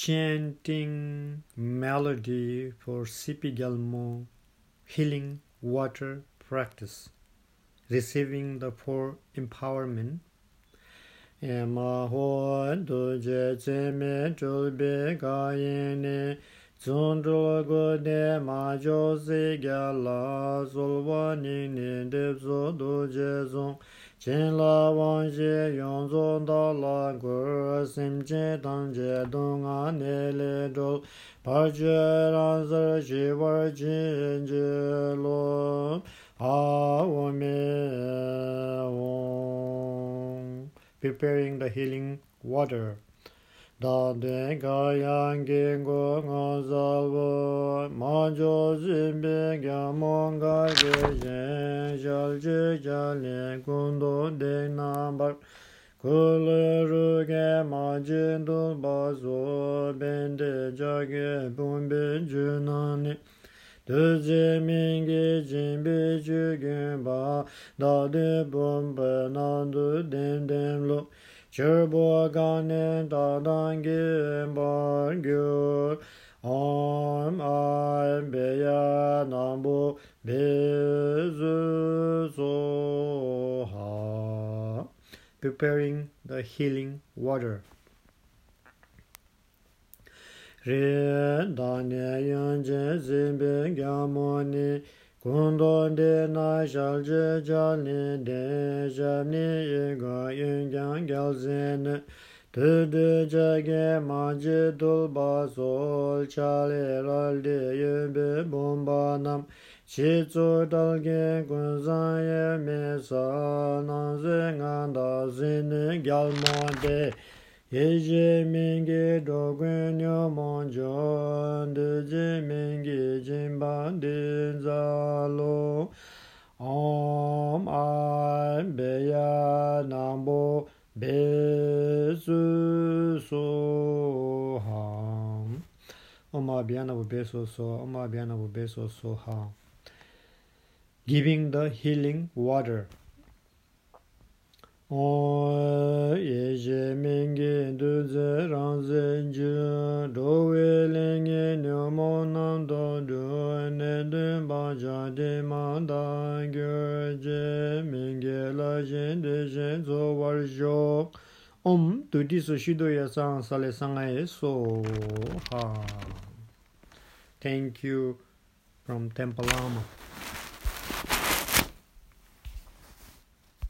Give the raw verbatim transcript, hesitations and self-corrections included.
chanting melody for C P Gelmo healing water practice, receiving the four empowerment. Ema ho do je je me jul be ga yin zon ro go de ma jo se ga la zol wa ni ni de zo do je zon chen la wang je yong zon da la gu sim je dang je dong a ne le do pa je ran zer ji war jin je lo a wo me wo. Preparing the healing water. Da de ga yang ge go nga za wo ma jo jin be ga mo ga ge je jal je jal le gun do de na ba ku le ru ge ma jin do ba zo ben de ja ge bun be ju na ni de je ming ge jin be ju ge ba da de bun be na du den den lo Cherbo gane da dangi bar gyur Om ay beya nambu bezu soha. Preparing the healing water. Re dane yanje zimbe gamoni Kundon de na shalje jalni de jamni yega yungyang gyalzen tu de jage manje dulba sol chale ralde yebe bomba nam chi tsu dalge kunzan ye me sa nanze nganda zini gyalmonde Yeje mingi dogun yo monjon deje mingi jimban din zalo Om ay beya nambo besu soham Om abhyana bu besu so Om abhyana bu besu soham. Giving the healing water. O yeje mingi duze ranze ju do welingi nyomo nam do du ne du ba ja de ma da gyo je mingi la jen de jen zo war jo om tu di so shido ya sang sale sangai so ha. Thank you from Temple Lama.